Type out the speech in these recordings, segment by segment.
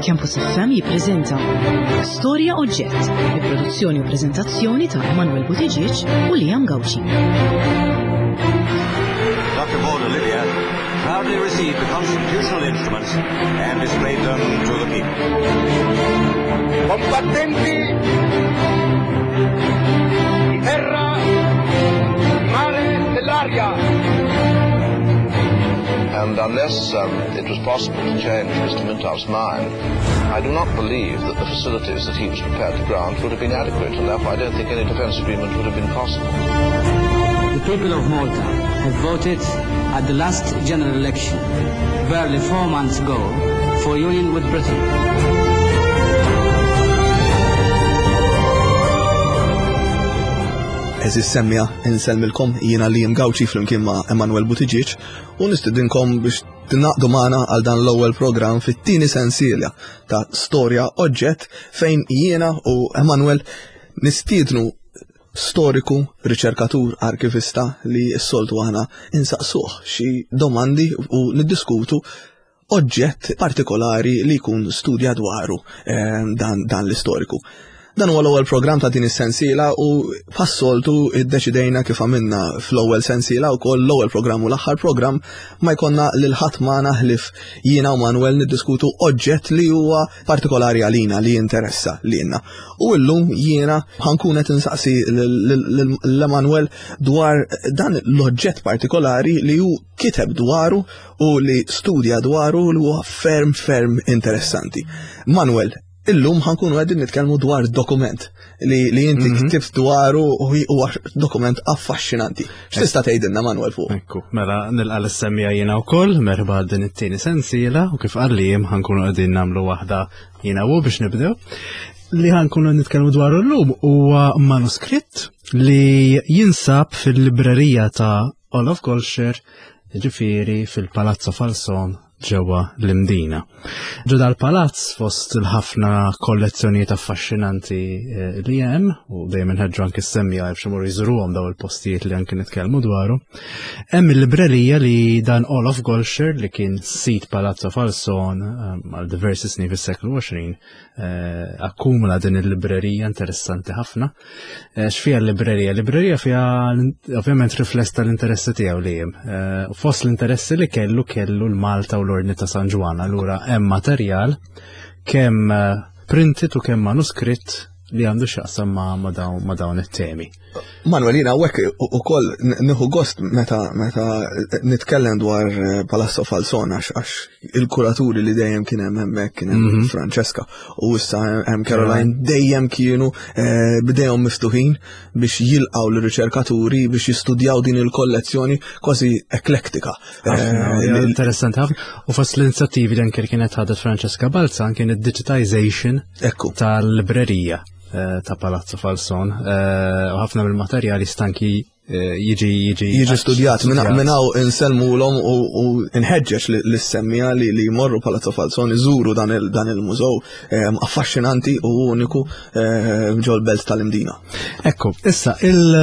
Campus FM jippreżenta Storja Oġġett bi produzzjoni u preżentazzjoni ta' Emanuel Buttigieg u Liam Gauci. Dr. Maud Olivia proudly received the constitutional instruments and displayed them to the people. Combattenti di terra, di mare, dell'aria. And unless um, it was possible to change Mr. Mintoff's mind, I do not believe that the facilities that he was prepared to grant would have been adequate, and therefore I don't think any defence agreement would have been possible. The people of Malta have voted at the last general election, barely four months ago, for union with Britain. Eżis semmija insellmilkom jiena Liam Gauci flimkien ma' Emanuel Buttigieg u nistidinkom biex tingħaqdu magħna għal dan l-ewwel programm fit-tieni sensiela ta' Storja Oġġett fejn jiena u Emanuel nistiednu storiku, riċerkatur, arkivista li s-soltu aħna insaqsuh xi domandi u niddiskutu oġġett partikolari li jkun studja dwaru eh, dan, dan l-istoriku. Dan huwa l-ewwel programm ta' din is-sensiela u bħas-soltu iddeċidejna kif għamilna fl-ewwel sensiela wkoll l-ewwel programm u l-aħħar programm ma jkollna lil ħadd magħna ħlief jiena u Manuel niddiskutu oġġett li huwa partikolari għalina li jinteressa lilna. U llum jiena ħankun qed insaqsi lil Emanuel dwar dan l-oġġett partikolari li hu kiteb dwaru u li studja dwaru li huwa ferm ferm interessanti. Manuel, Illum ħankunu għedin nitkellmu dwar dokument li, li inti mm -hmm. ktibt dwaru u huwa dokument affaxxinanti. X'tista' tgħidilna Manuel fuq? Ekku, mela nilqa' l-semmija jiena wkoll, merħba din it-tieni sensiela u kif qal li jiem ħankunu qegħdin nagħmlu waħda jiena u biex nibdew. Li ħankunu nitkellmu dwaru llum huwa manuskritt li jinsab fil-librerija ta' Olaf Golsher, ġifieri fil-Palazzo Falson ġewwa l-Imdina. Ġo dal-palazz fost il-ħafna kollezzjonijiet affaxxinanti eh, li hemm u dejjem inħeġġu anke semmija biex imorru jżuruhom daw il-postijiet li anke nitkellmu dwaru. Hemm il-librerija li dan Olaf Golsher li kien sit Palazzo Falson eh, għal diversi snin fis-seklu 20 eh, akkumula din il-librerija interessanti ħafna. Eh, x'fiha l-librerija? L-librerija fiha ovvjament rifless tal-interessi tiegħu li hemm. Eh, fost l-interessi li kellu kellu l-Malta u l-Ordni ta' San Ġwan, allura hemm materjal kemm eh, printed u kemm manuskritt li għandu x'jaqsam ma' dawn it-temi. Manuel, jina għek u koll nieħu gost meta meta nitkellem dwar Palazzo Falson għax il-kuraturi li dejjem kien hemm hemmhekk kien hemm mhm. Francesca u issa hemm Caroline dejjem kienu eh, bidejhom miftuħin biex jilqgħu l-riċerkaturi biex jistudjaw din il-kollezzjoni kważi eklektika. Eh, interessanti ħafna. U fost l-inizjattivi li anke kienet ħadet Francesca Balzan kien id-digitization tal-librerija eh, ta' Palazzo Falson u ħafna mill-materjali stanki Eh, jiġi jiġi jiġi studjat minn hawn insellmulhom u nħeġġeġ lis-semmija li li jmorru Palazzo Falzon iżuru dan il-mużew eh, affaxxinanti u uniku eh, ġol-belt tal-Imdina. Ekku, issa il-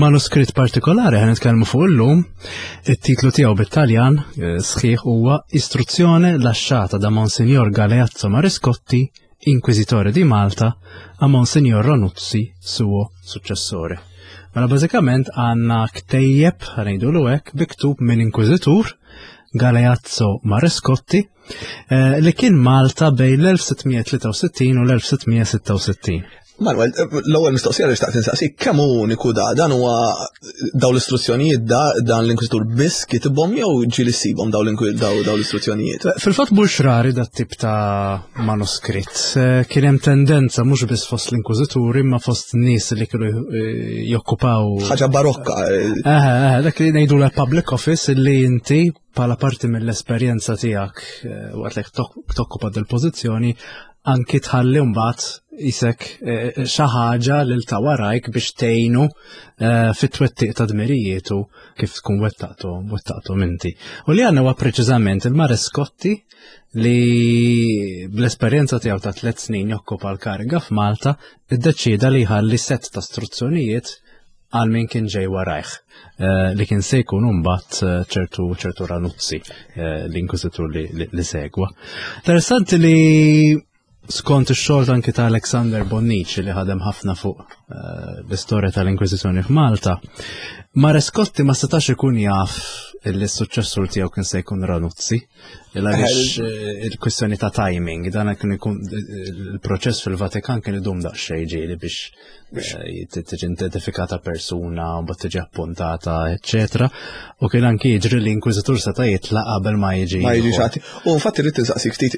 manuskritt partikolari ħan nitkellmu fuq illum, it-titlu tiegħu bit-Taljan sħiħ huwa Istruzzjone lasciata da Monsignor Galeazzo Mariscotti Inquisitore di Malta a Monsignor Ranuzzi suo successore. Mela bażikament għandna ktejjeb ħanejdu l hekk biktub minn Inquisitur Galeazzo Marescotti eh, li kien Malta bejn l-1663 u l-1666. Manuel, l-ewwel mistoqsija li xtaqt insaqsik kemm hu uniku da dan huwa daw l-istruzzjonijiet da dan l-inkwiżitur biss kitibhom jew ġieli ssibhom daw l-istruzzjonijiet? Fil-fatt mhux rari dat tip ta' manuskritt. Eh, kien hemm tendenza mhux biss fost l-inkwiżituri imma fost nies li kienu eh, jokkupaw. Ħaġa barokka. Eh, dak li ngħidu l public office li inti bħala parti mill-esperjenza tiegħek waqt li tokkupa dil-pożizzjoni anki tħalli mbagħad isek eh, xi ħaġa lil ta' warajk biex tgħinu eh, fit-twettiq ta' dmirijietu kif tkun wettaqtu wettaqtu inti. U li għandna huwa preċiżament il-Mareskotti li bl-esperjenza tiegħu ta' tliet snin jokkupa l-kariga f'Malta iddeċieda li jħalli set ta' struzzjonijiet. għal min kien ġej warajh eh, li kien se jkun imbagħad eh, ċertu ċertu Ranuzzi eh, l-inkwiżitur li segwa. Interessanti li skont ix-xogħol anki ta' Alexander Bonnici li ħadem ħafna fuq l-istorja tal-Inkwiżizzjoni f'Malta, Marescotti ma setax ikun jaf li s-suċċessur tiegħu kien se jkun Ranuzzi. Għaliex il-kwistjoni ta' timing, dan kien ikun il-proċess fil-Vatikan kien idum daqsxejn ġieli biex Eh, tiġi identifikata persuna, u bat tiġi appuntata, eccetera. U kien anki jiġri li inkwizitur seta' jitlaq qabel ma jiġi. Ma jiġi xati. U infatti rrid insaqsik ftit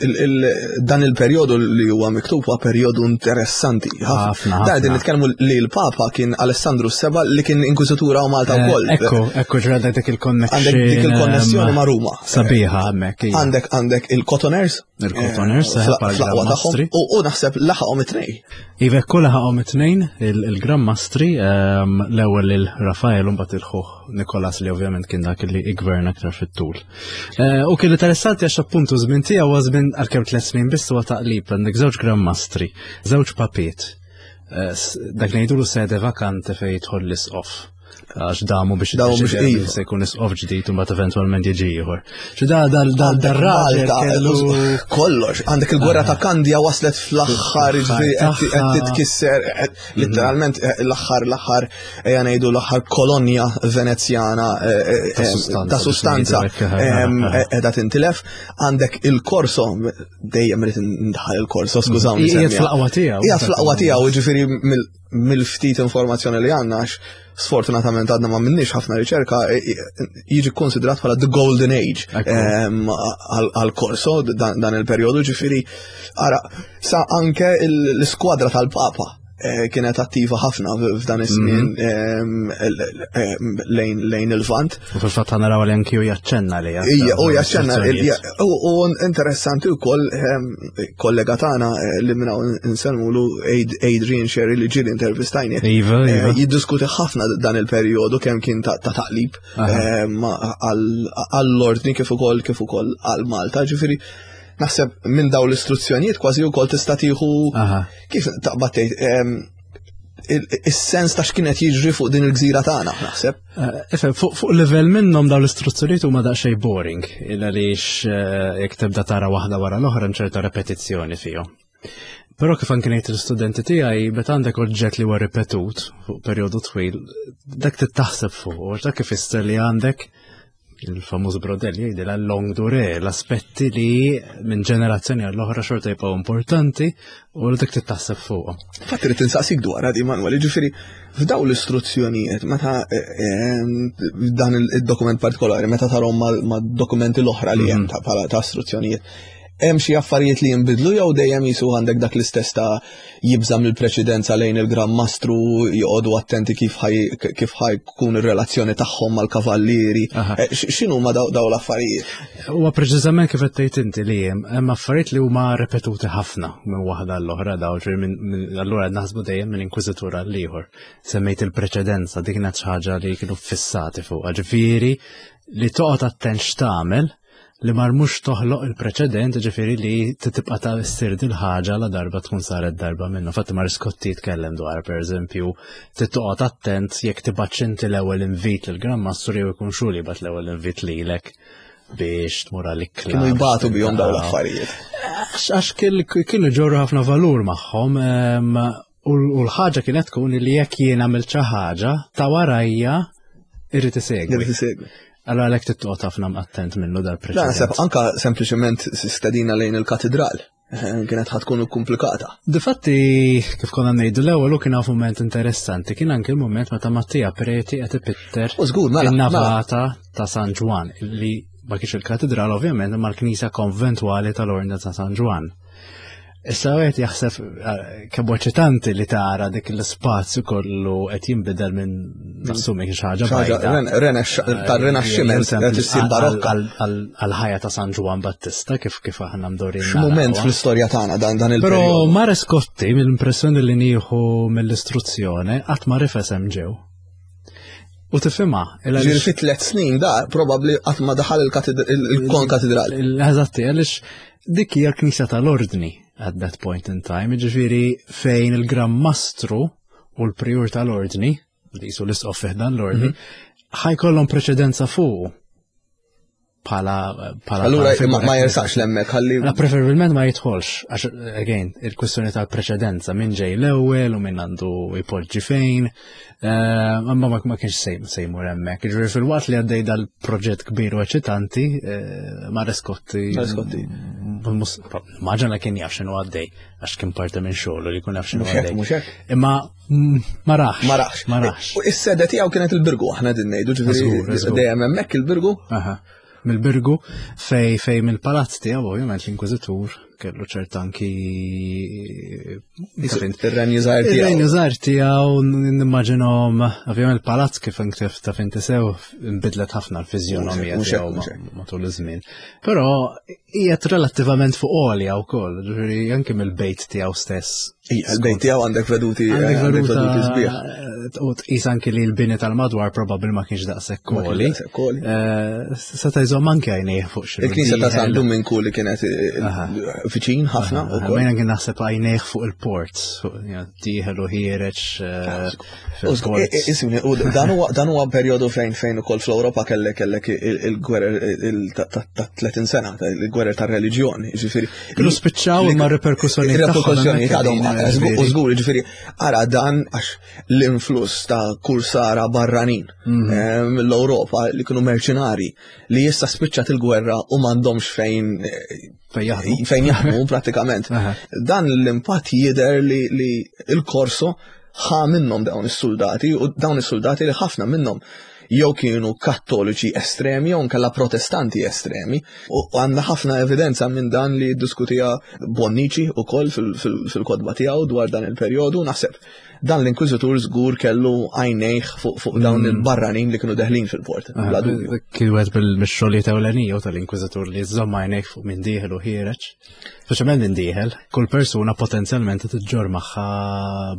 dan il-perjodu li huwa miktub huwa perjodu interessanti. Ħafna. Da qegħdin nitkellmu li l-Papa kien Alessandru Seba li kien inkwizitura u Malta eh, wkoll. Ekku, ekku ġra dik il-connexxjoni. Għandek dik il-konnessjoni ma' Ruma. Sabiħa hemmhekk. Għandek għandek il-Cotoners. Il-Cotoners, eh, fl-aqwa tagħhom. U naħseb laħaqhom it-tnej. Iva ekku laħaqhom it-tnejn il-Gran Mastri, ehm, l-ewwel lil Rafael u mbagħad il-ħuh Nikolas li ovvjament kien dak li igverna aktar fit-tul. Eh, u kien interessanti għax appuntu żmien tiegħu huwa żmien għalkemm tliet snin biss huwa taqlib għandek żewġ Gran Mastri, żewġ papiet. Eh, dak ngħidulu sede vakante fejn jidħol l-isqof għax damu biex damu biex iva. se jkun isqof ġdid u mbagħad eventwalment jiġi ieħor. Xi da da da dar-raġel kellu kollox, għandek il-gwerra ta' Kandja waslet fl-aħħar ġifieri qed titkisser letteralment eh, l-aħħar l-aħħar ejja ngħidu l-aħħar kolonja Venezjana eh, eh, ta' sustanza qiegħda tintilef. Għandek il-Korso dejjem rid ndaħal il-Korso, skużawni. Qiegħed fl-aqwa tiegħu. Qiegħed fl-aqwa tiegħu, ġifieri mill-ftit informazzjoni li għandna għax sfortunatament għadna ma minnix ħafna riċerka e, e, jiġi konsidrat bħala the golden age għal-korso dan il-perjodu ġifiri ara sa anke l-iskwadra tal-Papa e, kienet attiva ħafna f'dan iż-żmien mhm. lejn il-Vant. U fil-fatt naraw li anki u jaċċenna li. Ija, u jaċċenna. U interessanti wkoll ehm, kollega tagħna eh, li minna nsellmulu Adrian Sherry li ġieli intervistajni. Iva, eh, iva. Jiddiskuti ħafna dan il-perjodu kemm kien ta' taqlib ehm, għall-ordni kif ukoll kif ukoll għal Malta. Ġifieri naħseb minn daw l-istruzzjonijiet kważi wkoll tista' tieħu kif taqbad tgħid ehm, is-sens ta' x'kien qed jiġri fuq din il-gżira tagħna, naħseb. Eh, ifhem, fuq livell minnhom dawn l-istruzzjonijiet huma daqsxejn boring, il għaliex eh, jekk tibda tara waħda wara l-oħra hemm ċerta repetizzjoni fihom. Però kif anke ngħid l-istudenti tiegħi, meta għandek oġġett li huwa ripetut fuq perjodu twil, dak titaħseb fuq, dak ifisser li għandek il-famuż brodell jgħidilha long dure, l-aspetti li minn ġenerazzjoni għall-oħra xorta jibqgħu importanti u li dik titaħseb fuqhom. Fatt irid insaqsik dwar għadi Manuel, jiġifieri f'daw l-istruzzjonijiet meta eh, eh, dan id-dokument partikolari, meta tarhom ma' dokumenti l-oħra li hemm mhm. bħala ta' istruzzjonijiet, hemm xi affarijiet li jinbidlu jew dejjem jisu għandek dak l-istess ta' jibża' mill-preċedenza lejn il-Gran Mastru, joqogħdu attenti kif kif ħajkun ir-relazzjoni tagħhom mal-kavallieri. Eh, x'inhu ma daw l-affarijiet? Huwa preċiżament kif qed tgħid inti li hemm hemm affarijiet li huma repetuti ħafna minn waħda l-oħra daw ġifieri allura naħsbu dejjem minn inkwiżitur għal ieħor. Semmejt il-preċedenza dik kienet xi ħaġa li kienu fissati fuqha, ġifieri li toqgħod attent x'tagħmel li mar mhux toħloq il-preċedent, ġifieri li tibqa' ta' ssir dil-ħaġa la darba tkun saret darba minnu. Fatti mar Scotti jitkellem dwar pereżempju tittoqgħod attent jekk tibgħatx inti l-ewwel invit lil Gran Mastru jew ikun xu li jibgħat l-ewwel invit lilek biex tmur għal-ikla. Kienu jbatu bihom dawn l-affarijiet. Għax kienu ġorru ħafna valur magħhom U l-ħaġa kienet tkun li jekk jien għamilt xi ħaġa ta' warajja irrid isegwi. Irrid isegwi. Allora għalhekk tittoqgħod ħafna attent minnu dal-preċedent. Naħseb anka sempliċement stedina lejn il-katedral eh, kienet ħatkun komplikata. Difatti, kif konna ngħidu l-ewwel u kien moment interessanti, kien anke il-moment meta Mattia Preti qed ipitter żgur, mela, mela. in-navata ta' San Ġwan li ma kienx il-katedral ovvjament imma l-knisja konventwali tal-Ordni ta' San Ġwan. Issa għet jaħseb eh, kemm eċitanti li tara dik l-spazju kollu qed jinbidel minn nassumi xi ħaġa tar-rinaxximent qed issir barokka għal-ħajja ta' San Ġwan Battista kif kif aħna mdorin. X'mument fl-istorja tagħna dan dan il Però Mare Scotti mill-impressjoni li nieħu mill-istruzzjoni qatt ma rifes hemm ġew. U tifhimha. Ġifieri fi tliet snin da probabbli qatt ma daħal il-kon katedrali. Eżatti, għaliex dik hija l-Knisja tal-Ordni at that point in time, ġifieri fejn il-Gran Mastru u l-Prijur tal-Ordni. li jisu l-isqof fih dan l-ordni, ħajkollhom preċedenza fuq bħala bħala Allura ma jersax lemmek ħalli. La preferibilment ma jidħolx għax again il-kwistjoni tal-preċedenza minn ġej l-ewwel u minn għandu jpoġġi fejn. Eh, imma ma kienx se jmur hemmhekk. Jiġifieri fil-waqt li għaddej dal-proġett kbir u eċitanti, eh, Marescotti. Marescotti. Maġana kien jaf x'inhu għaddej għax kien parti minn xogħol li jkun jaf x'inhu għaddej. Imma ma rax. Ma rax. Ma rax. U is-sede tiegħu kienet il-Birgu, aħna din ngħidu, ġifieri dejjem hemmhekk il-Birgu. Mill-Birgu fej fej mill-palazz tiegħu ovvjament l-Inkwiżitur kellu ċert anki ir-renju żgħir tiegħu. Ir-renju żgħir tiegħu nimmaġinhom ovvjament il-palazz kif inktif taf inti sew nbidlet ħafna l-fiżjonomija tiegħu matul iż-żmien. Però qiegħed relattivament fuq għolja wkoll, ġifieri anke mill-bejt tiegħu stess. Il-bejt tiegħu għandek veduti għandek veduti sbieħ. U tqis anke li l-bini tal-madwar probabbli ma kienx daqshekk għoli. Eh, seta' jżomm anke għajnejh fuq xi. Il-knisja ta' San Duminku li kienet eh, viċin ħafna ukoll. Mejna kien naħseb għajnejh fuq il-port, dieħel u ħiereġ eh, Isuni, u dan huwa perjodu fejn fejn ukoll fl-Ewropa kellek kellek il-gwerer ta' 30 sena, il-gwerer ta' reliġjoni, ġifieri. Kienu spiċċaw imma reperkussjoni Reperkussjoni għadhom u żgur, ġifieri, ara dan għax l-influss ta' kursara barranin mhm. eh, mill-Ewropa li kienu merċinari li issa spiċċat il-gwerra u m'għandhomx fejn eh, fejn jaħdmu pratikament. Dan l-impatt jidher li il-korso ħa minnhom dawn is-suldati u dawn is-suldati li ħafna minnhom jew kienu kattoliċi estremi jew nkella protestanti estremi u għandna ħafna evidenza minn dan li ddiskutija Bonnici ukoll fil-kotba tiegħu dwar dan il-perjodu naħseb dan l-inkwiżitur żgur kellu għajnejh fuq dawn il-barranin li kienu deħlin fil-port. Bla dubju. Kien wieħed mill-xogħlijiet ewlenija tal-inkwiżitur li żomm għajnejh fuq minn dieħel u ħiereġ. Speċjalment minn dieħel, kull persuna potenzjalment tiġġor magħha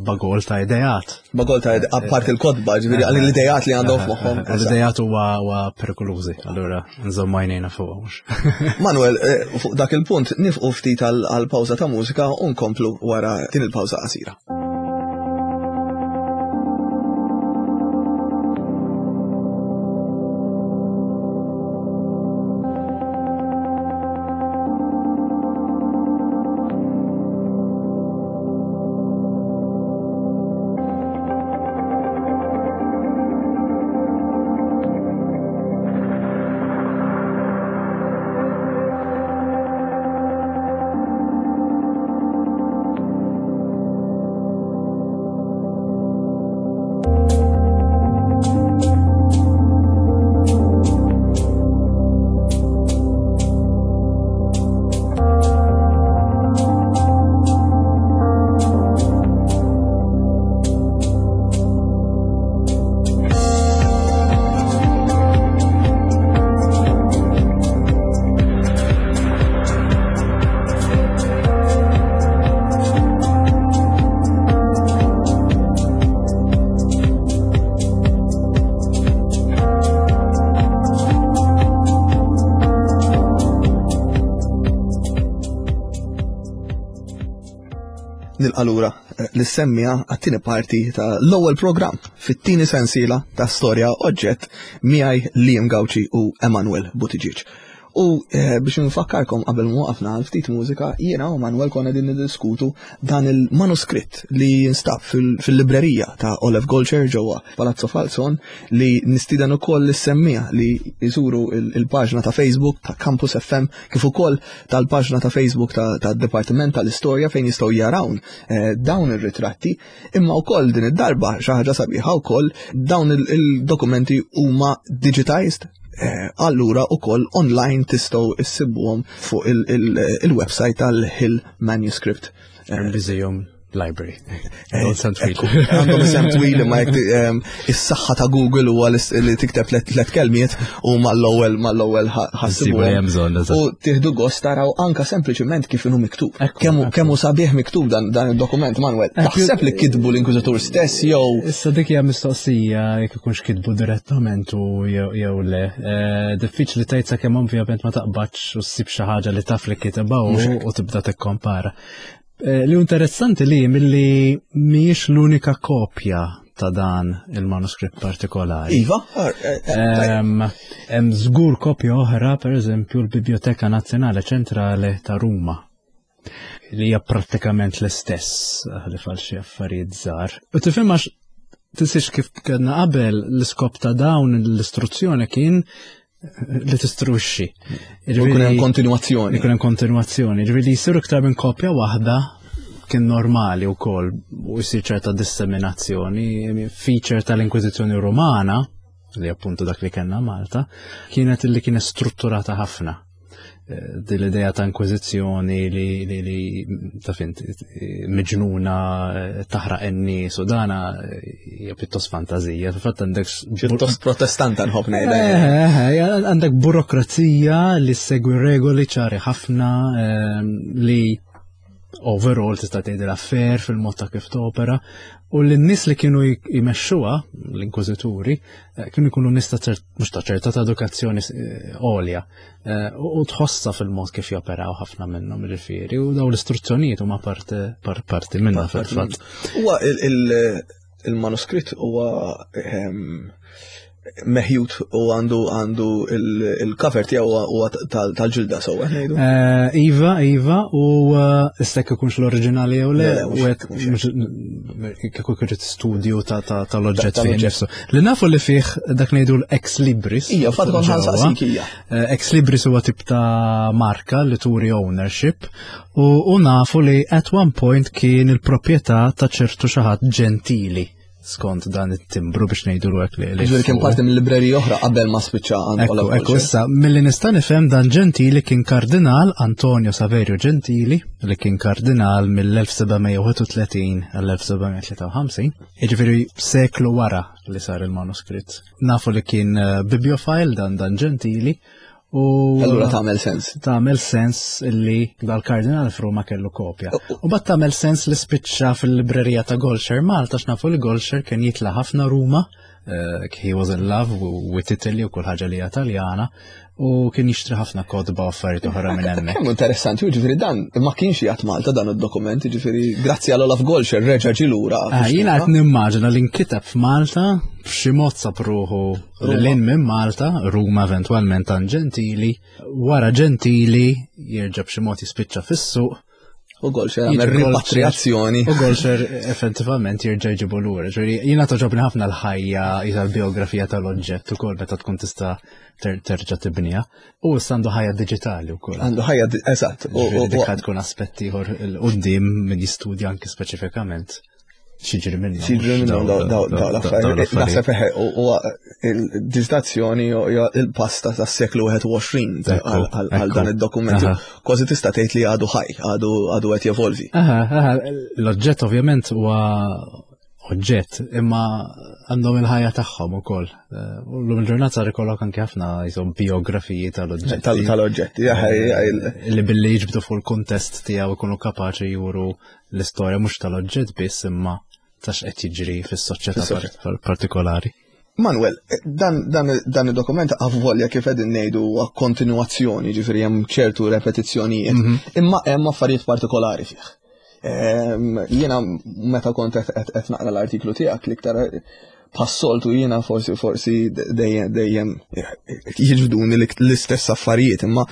bagol ta' ideat. Bagol ta' ideat, apart il-kotba, ġifieri għal l-ideat li għandhom f'moħħhom. L-ideat huwa perikolużi, allura nżomm għajnejna fuq mhux. Manuel, eh, fuq dak il-punt nifqu ftit għal pawża ta' mużika u nkomplu wara din il-pawża qasira. Nilqalura eh, l-semmija għat-tieni parti ta' l-ewwel programm fit-tieni sensiela ta' storja oġġett miegħi Liam Gauci u Emanuel Buttigieg. U eh, biex nfakkarkom qabel ma waqafna għal ftit mużika, jiena u Manuel konna din niddiskutu dan il-manuskritt li jinstab fil-librerija ta' Olaf Golcher ġewwa Palazzo Falzon li nistieden ukoll lis-semmija li jżuru il-paġna ta' Facebook ta' Campus FM kif ukoll tal-paġna ta' Facebook ta' Dipartiment tal-Istorja fejn jistgħu jarawn eh, dawn ir-ritratti imma wkoll din id-darba xi ħaġa sabiħa wkoll dawn il-dokumenti huma digitized Eh, allura ukoll online tistgħu issibuhom fuq il-website tal-Hill Manuscript. Eh, Museum Library. Eh, għandhom isem twil imma jekk ehm, is-saħħa ta' Google huwa li tikteb tliet kelmiet u mal-ewwel mal-ewwel ħassibu. U tieħdu gost taraw anka sempliċement kif inhu miktub. Kemm hu sabiħ miktub dan id-dokument Manuel. Taħseb li kitbu l-Inkwiżitur stess jew. Issa dik hija mistoqsija jekk ikunx kitbu direttament u jew le. Eh, diffiċli tgħid sakemm ovvjament ma taqbadx u ssib xi ħaġa li taf li kitibha u tibda tikkompara. Eh, li interessanti li milli mhijiex l-unika kopja ta' dan il-manuskritt partikolari. Iva, eh, eh, hemm żgur kopja oħra, pereżempju l-Biblioteka Nazzjonali Ċentrali ta' Ruma li hija prattikament l-istess li fal xi affarijiet żgħar. U tifhem għax tinsiex kif kellna qabel l-iskop ta' dawn l-istruzzjoni kien li tistruxxi. Ikun hemm kontinwazzjoni. Ikun hemm kontinwazzjoni. Ġifieri li jsiru iktar minn kopja waħda kien normali wkoll u jsir ċerta disseminazzjoni. Feature tal-Inkwiżizzjoni Rumana, li appuntu dak li kellna Malta, kienet li kienet strutturata ħafna. Eh, din l-idea ta' inkwiżizzjoni li, li, li ta' fint miġnuna eh, taħraq in-nies u dana eh, hija pjuttost fantazija. Fil-fatt għandek pjuttost protestanta nħobb ngħidha. Għandek burokrazija li segwi regoli ċari ħafna li overall tista' tgħidilha fair fil-mod ta' kif topera u l-nies li kienu jmexxuha l-inkwiżituri eh, kienu jkunu nies ta' mhux ta' ċerta ta' edukazzjoni eh, għolja eh, u tħossa fil-mod kif joperaw ħafna minnhom ġifieri u daw l-istruzzjonijiet huma parti minnha fil-fatt. Huwa il-manuskritt huwa ehm, meħjut u għandu għandu il-cover tiegħu huwa tal-ġilda sewwa ngħidu. Eh, iva, iva, u eh, issa ikunx l-oriġinali jew le, u qed kieku kien studju tal-oġġett fih nifsu. Li nafu li fih dak ngħidu l-ex libris. Ija, fatt kont ħansaqsik hija. Eh, ex libris huwa tip ta' marka li turi ownership u nafu li at one point kien il-proprjetà ta' ċertu xi ħadd ġentili skont dan it-timbru biex ngħidu l li. Ġifieri kien parti mill-librerija oħra qabel ma spiċċa għand Ekku, ekku, issa milli nista' nifhem dan Gentili kien kardinal Antonio Saverio Gentili li kien kardinal mill-1731 għall-1753, jiġifieri seklu wara li sar il-manuskritt. Nafu li kien eh, bibliofile dan dan Gentili U allura tagħmel sens. Tagħmel sens li dal-kardinal f'Ruma kellu kopja. U bat tagħmel sens li spiċċa fil-librerija ta' Golxer Malta x'nafu li Golxer kien jitla' ħafna Ruma, eh, he was in love with Italy u kull ħaġa li hija Taljana u kien jixtri ħafna kotba u affarijiet oħra minn hemmhekk. Kemm interessanti, jiġifieri dan ma kienx jgħat Malta dan id-dokument, jiġifieri grazzi għal Olaf Golxer reġa' ġie lura. Ah, jiena qed nimmaġina li nkiteb f'Malta b'xi mod sab ruħu Lil minn Malta, Ruma eventwalment għand Ġentili, wara Ġentili jerġa' b'xi mod jispiċċa fis-suq. U Golxer għamel ripatriazzjoni. U Golxer effettivament jerġa' jġibu lura. Ġifieri jiena toġobni ħafna l-ħajja l-biografija tal-oġġett ukoll meta tkun tista' terġa' tibniha. U issa għandu ħajja diġitali wkoll. Għandu ħajja eżatt. U dik tkun aspett ieħor il-qudiem min jistudja anki speċifikament. Xiġri minnhom. Xiġri minnhom daw l-affarijiet. Naħseb eħe u il-diġitazzjoni il-pasta tas-seklu 21 għal dan id-dokument. Kważi tista' tgħid li għadu ħaj, għadu qed jevolvi. L-oġġett ovvjament huwa oġġett imma għandhom il-ħajja tagħhom ukoll. Eh, u l-lum il-ġurnata sar ikollok anke ħafna jisom biografiji tal-oġġetti. Tal-oġġetti, Li billi jiġbdu fuq il-kuntest tiegħu ikunu kapaċi juru l-istorja mhux tal-oġġett biss imma ta' x'qed jiġri fis-soċjetà partikolari. Manuel, dan, dan, dan id-dokument avvolja kif qegħdin ngħidu huwa kontinwazzjoni, ġifieri hemm ċertu repetizzjonijiet, mm -hmm. imma hemm affarijiet partikolari fih. Ehm, jiena meta kont qed naqra l-artiklu tiegħek l-iktar Passoltu jiena forsi forsi dejjem dejjem jiġbduni l-istess affarijiet, imma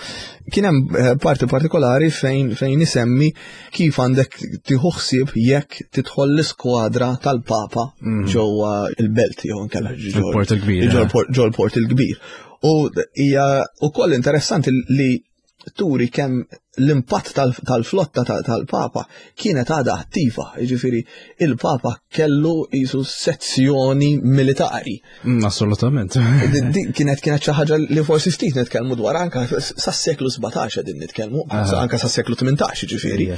kien hemm eh, parti partikolari fejn fejn isemmi kif għandek tieħu ħsieb jekk tidħol l-iskwadra tal-Papa mm. ġewwa il-belt jew inkella ġol-port il-kbir. Eh. Ġol-port il-kbir. U hija wkoll interessanti li turi kemm l-impatt tal-flotta tal-Papa kienet għadha attiva, jiġifieri il-Papa kellu jisu sezzjoni militari. Mm, assolutament. Kienet kienet xi ħaġa li forsi ftit nitkellmu dwar anka sas-seklu 17 qegħdin nitkellmu, anka sas-seklu 18 jiġifieri.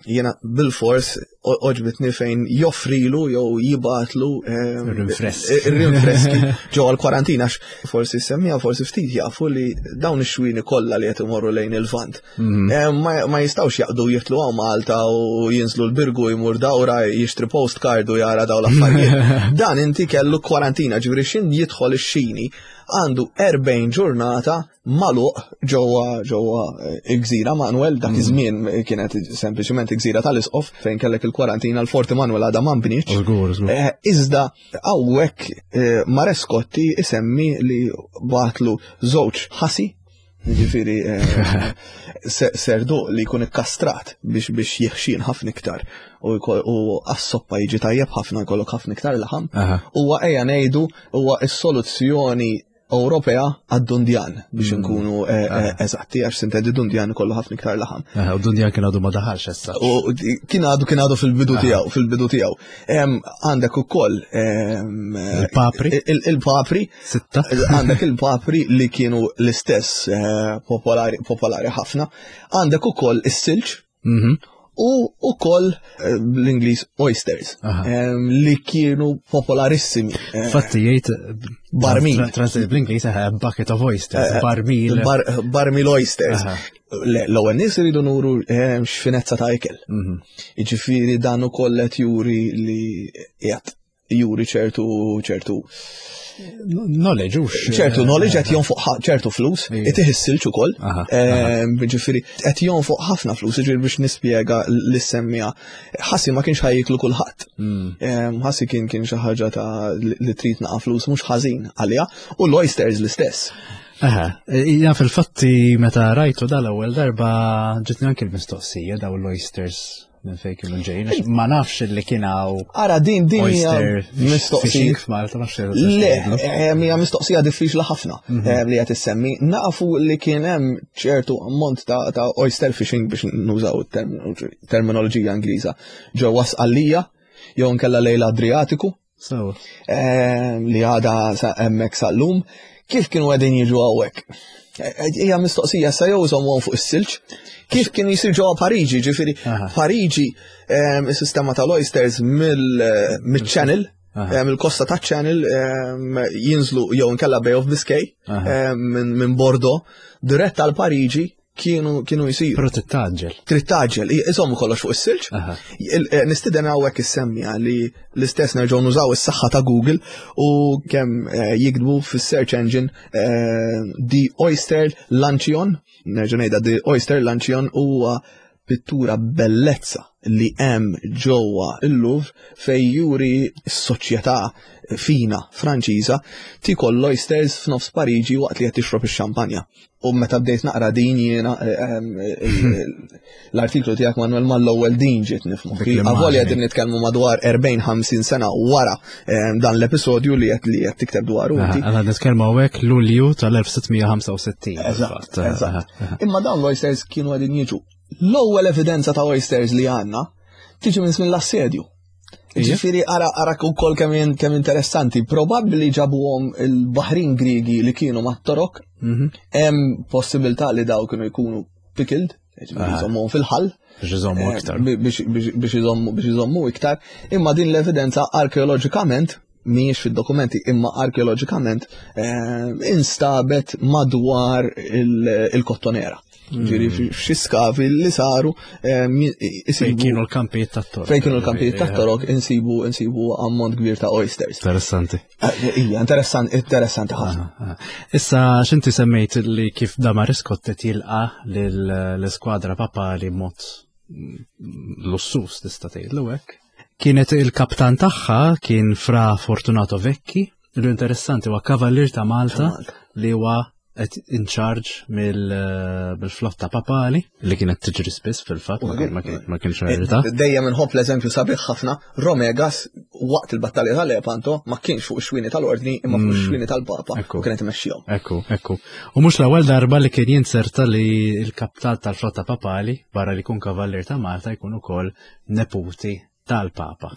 Jiena bil-fors oġbitni fejn joffrilu jew jibatlu ehm, rinfreski rinfreski ġewwa l-kwarantina forsi semmija forsi ftit jafu li dawn ix-xwini kollha li qed imorru lejn il-Lvant. Mhm. Ehm, ma jistgħux jaqdu jitlu hawn Malta u jinżlu l-Birgu jmur dawra jixtri postcard u jara dawn l-affarijiet. Dan inti kellu kwarantina ġifieri xin jidħol ix-xini għandu 40 ġurnata magħluq ġewwa ġewwa eh, gżira Manuel dak mm. iż-żmien kienet sempliċement gżira tal-isqof fejn kellek il-kwarantina l-Forti Manuel għadha ma nbnietx. Żgur, żgur. Eh, iżda hawnhekk eh, Marescotti isemmi li bagħatlu żewġ ħasi Ġifiri, eh, serdu li jkun ikkastrat biex biex jieħxin ħafna iktar u għas-soppa jiġi tajjeb ħafna jkollok ħafna iktar laħam. Huwa ejja ngħidu huwa s-soluzzjoni Ewropea għad-dundjan biex mm. nkunu eh, eh, eżatti għax sintendi dundjan kollu ħafna iktar laħam. U dundjan kien għadu ma daħalx issa. U kien għadu kien għadu fil-bidu tiegħu, fil-bidu tiegħu. Għandek ukoll il-papri. Il-papri. Sitta. Għandek il-papri li kienu l-istess eh, popolari ħafna. Għandek ukoll is-silġ. Mhm. U ukoll eh, l-Ingliż oysters li kienu popolarissimi. Eh, Fatti jgħid barmil. Translate bl-Ingliż bucket of oysters, barmil. Barmil oysters. L-ewwel nies iridu nuru x'finezza ta' ikel. Mhm. Jiġifieri dan ukoll qed juri li qiegħed juri ċertu ċertu knowledge ux. ċertu knowledge qed jonfoq ċertu flus, itih is-silġ ukoll. Ehm, ġifieri qed jonfoq ħafna flus, ġifieri biex nispjega l-semmija. Ħassi ma kienx ħajjiklu kulħadd. Hmm. Ehm, ħassi kien kien xi ħaġa ta' li trid naqa' flus mhux ħażin għaliha u l-oysters l-istess. Aha, ja fil-fatti meta rajtu dal-ewwel darba ġitni anki l-mistoqsija daw l-oysters minn fejn kienu ġejjin, għax ma nafx li kien hawn. Ara din din hija mistoqsija f'Malta ma nafx. Le, eh, hija mistoqsija diffiċli ħafna mhm. eh, li qed issemmi. Nafu li kien hemm ċertu ammont ta' oyster fishing biex nużaw terminoloġija Ingliża ġewwa Sqallija jew nkella lejl Adriatiku. So. Ehm, li għada hemmhekk sal-lum, kif kienu għedin jiġu hawnhekk? Eh, eh, hija mistoqsija sa jew iżommuhom fuq is-silġ. Kif kien jisir ġewwa Pariġi, ġifieri Pariġi ehm, is-sistema tal-oysters eh, mill-channel, ehm, il-kosta ta' channel jinżlu jew inkella Bay of Biscay minn Bordeaux dirett għal Pariġi kienu kienu jisiru. Però trid taġġel. Trid taġġel, iżommu kollox fuq is-silġ. Eh, nistiden hawnhekk issemmija li l-istess nerġgħu nużaw is-saħħa ta' Google u kemm eh, jikdbu fis-search engine eh, The Oyster Luncheon, nerġa' ngħidha The Oyster Luncheon huwa pittura bellezza li hemm ġewwa il-Louvre fej juri s-soċjetà fina Franċiża tikol l-oysters f'nofs Pariġi waqt li qed tixrob ix-xampanja. U meta bdejt naqra din jiena eh, eh, l-artiklu tiegħek Manuel mal-ewwel din ġiet nifmu. Avolja din nitkellmu madwar 40-50 sena wara eh, dan l-episodju li qed li qed tikteb dwaru inti. Għana nitkellmu hawnhekk Lulju tal-1665. Eżatt, eżatt. Imma dawn l-oysters kienu qegħdin jiġu. L-ewwel evidenza ta' oysters li għandna tiġi minn żmien l-assedju. Ġifiri, ara, ara ukoll kemm kemm interessanti, probabbli ġabuhom il-Baħrin Griegi li kienu mat-Torok, mhm. hemm possibilità li daw kienu jkunu pickled, jżommuhom fil-ħall. Biex iżommu eh, iktar. Biex iżommu iktar. Imma din l-evidenza arkeoloġikament mhijiex fid-dokumenti imma arkeoloġikament eh, instabet madwar il-kottonera. Ġiri hmm. f'xi skavi li saru fejn kienu l-kampijiet tat-torok. Fejn kienu l-kampijiet tat-torok insibu insibu ammont kbir ta' oysters. Interessanti. Eh, ija, interessanti, interessanti ħafna. Ah, ah. Issa x'inti semmejt li kif Damaris Kottet jilqa l-iskwadra papali mod lussus tista' tgħidlu hekk. Kienet il-kaptan tagħha kien Fra Fortunato Vecchi, li interessanti huwa kavallier ta' Malta li huwa qed in charge mill-flotta papali li kienet tiġri spiss fil-fatt ma kienx verità. Dejjem inħobb l-eżempju sabiħ ħafna, Romegas waqt il-battalja tal-Lepanto ma kienx fuq ix-xwini tal-Ordni imma fuq mm. ix-xwini tal-Papa u kienet imexxihom. Ekku, ekku. U mhux l-ewwel darba li kien jinserta li l-kaptal tal-flotta papali barra li jkun kavallier ta' Malta jkun ukoll neputi tal-Papa.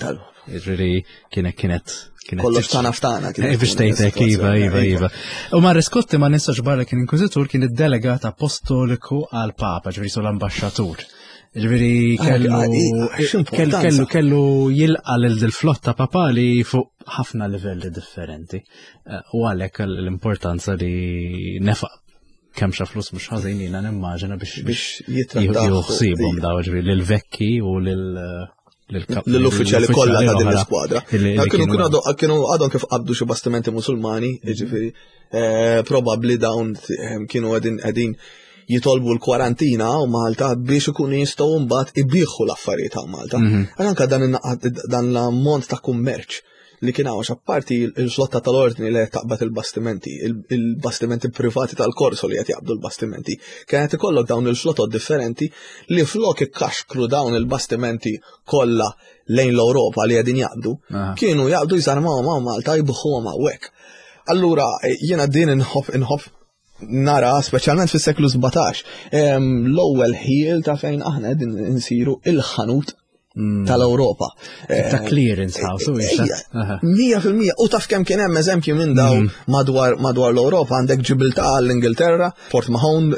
Ġifieri kienet kienet kienet. Kollox tagħna f'tagħna. Eh, biex tgħidlek iva, iva, iva. U ma Riskotti ma nistax barra kien inkwiżitur kien id-delegat apostoliku għal-Papa, ġifieri sul ambaxxatur. Ġifieri kellu kellu kellu jilqa' lil flotta papali fuq ħafna livelli differenti. Eh, u għalhekk l-importanza li nefaq kemm xa flus mhux ħażin jiena nimmaġina biex biex jitrattaw juħsibhom daw ġifieri lil vekki u lil l-uffiċjali kollha ta' din l-iskwadra. Kienu kienu għadhom kif qabdu xi bastimenti Musulmani, jiġifieri eh, probabbli dawn eh, kienu qegħdin qegħdin. jitolbu l-kwarantina u Malta biex ikunu jistgħu mbagħad ibieħu l-affarijiet ta' Malta. Għal anka dan l-ammont ta' kummerċ li kien hawn apparti il-flotta tal-ordni li qed taqbad il-bastimenti, il-bastimenti privati tal-korso li qed jaqbdu l-bastimenti, kienet ikollok dawn il-flotot differenti li flok ikkaxkru dawn il-bastimenti kollha lejn l-Ewropa li qegħdin jaqbdu, kienu jaqbdu jżarmaw ma' Malta jibħuhom hawnhekk. Allura jiena din inħobb inħobb nara speċjalment fis-seklu 17 l-ewwel ħiel ta' fejn aħna qegħdin insiru il-ħanut tal-Ewropa. Ta' clearance house, u 100%. U taf kemm kien hemm eżempji minn daw madwar madwar l-Ewropa għandek Ġibiltà l-Ingilterra, Port Mahon,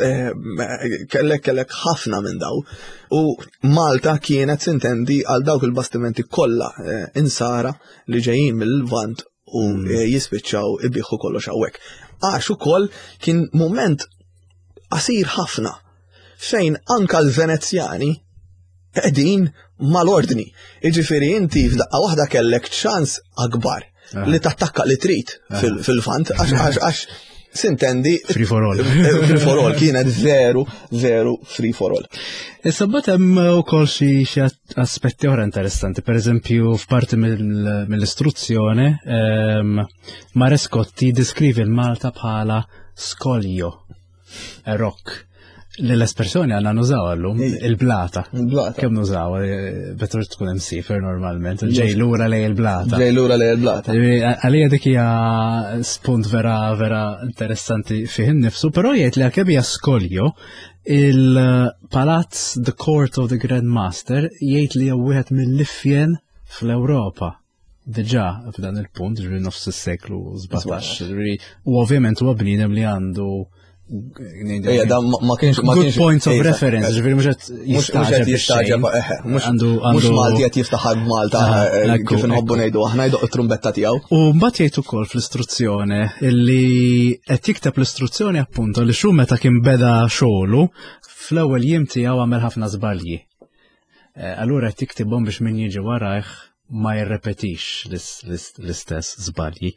kellek kellek ħafna minn daw. U Malta kienet sintendi għal dawk il-bastimenti kollha insara li ġejjin mill-Lvant u jispiċċaw ibiħu kollox hawnhekk. Għax ukoll kien moment qasir ħafna fejn anka l-Venezjani qegħdin mal-ordni. Jiġifieri inti f'daqqa waħda kellek ċans akbar li tattakka li trid fil-Lvant għax għax sintendi free for all. Free for all kienet veru, veru free for all. Issa mbagħad hemm ukoll xi aspetti oħra interessanti, per eżempju f'parti mill-istruzzjoni Marescotti diskrivi l-Malta bħala skoljo, rock. Li l-espressjoni għanna nużaw għallum, il-blata. Il-blata. Kemm nużaw, better tkun hemm sifer normalment, ġej lura lej il-blata. Ġej lura lej il-blata. Għalija dik hija spunt vera vera interessanti fih innifsu, però jgħid li għalkemm hija skoljo, il-palazz The Court of the Grand Master jgħid li hija wieħed mill-ifjen fl-Ewropa. Diġà f'dan il-punt, ġifieri nofs is-seklu 17, ġifieri u ovvjament huwa bniedem li għandu Ejja, dan ma kienx ma kienx points of reference, ġifieri mhux qed jistaġeb jistaġeb, mhux għandu mhux Malti qed jiftaħar b'Malta kif inħobbu ngħidu aħna jdoq it-trumbetta tiegħu. U mbagħad jgħid ukoll fl-istruzzjoni illi qed jikteb l-istruzzjoni appunto li xu meta kien beda xogħlu fl-ewwel jiem tiegħu għamel ħafna żbalji. Allura qed jiktibhom biex min jiġi warajh ma jirrepetix l-istess żbalji.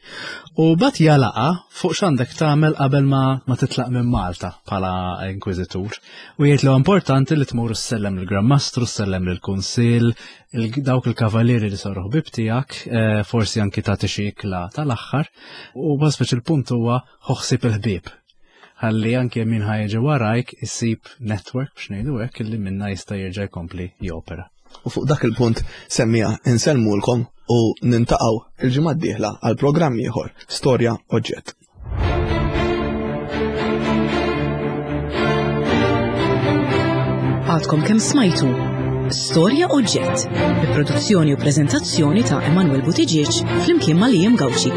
U bat jalaqa fuq x'għandek tagħmel qabel ma, ma titlaq minn Malta bħala inkwiżitur. U jgħid li importanti li tmur issellem lill-Gran Mastru, ssellem lill-Kunsill, dawk il-kavalieri li saru ħbib tiegħek, forsi anki tagħti xi ikla tal-aħħar. U speċi il-punt huwa ħoħsib il-ħbieb. Ħalli anke min ħajġi warajk isib network biex ngħidu hekk illi minna jista' jerġa' jkompli jopera. U fuq dak il-punt semmija insellmulkom u nintaqgħu il-ġimgħa d-dieħla għal programm ieħor Storja Oġġett. Għadkom kemm smajtu Storja Oġġett bi produzzjoni u preżentazzjoni ta' Emanuel Buttigieg flimkien ma' Liam Gauci.